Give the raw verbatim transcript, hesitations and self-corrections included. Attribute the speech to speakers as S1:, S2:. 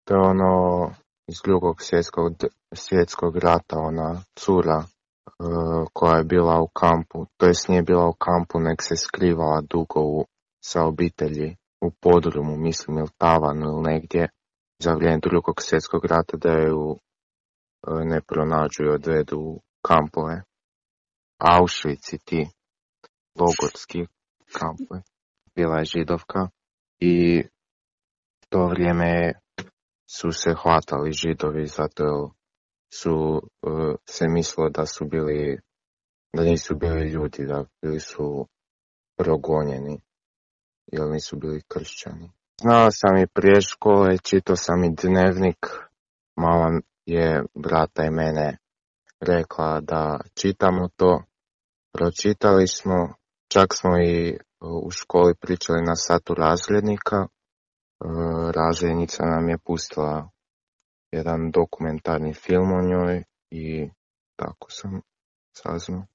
S1: To je ono iz drugog svjetskog, svjetskog rata, ona cura uh, koja je bila u kampu, to jest nije bila u kampu, nek se skrivala dugo u, sa obitelji u podrumu, mislim, ili tavanu ili negdje, za vrijeme drugog svjetskog rata, da ju uh, ne pronađu i odvedu u kampove. Auschwitz i ti logorski kampove. Bila je židovka i to vrijeme su se hvatali židovi zato jer su uh, se mislilo da su bili, da nisu bili ljudi, da bili su progonjeni jer nisu bili kršćani. Znala sam i prije škole, čitao sam i dnevnik, mama je brata i mene rekla da čitamo to, pročitali smo, čak smo i u školi pričali na satu razrednika. Razrednica nam je pustila jedan dokumentarni film o njoj i tako sam saznao.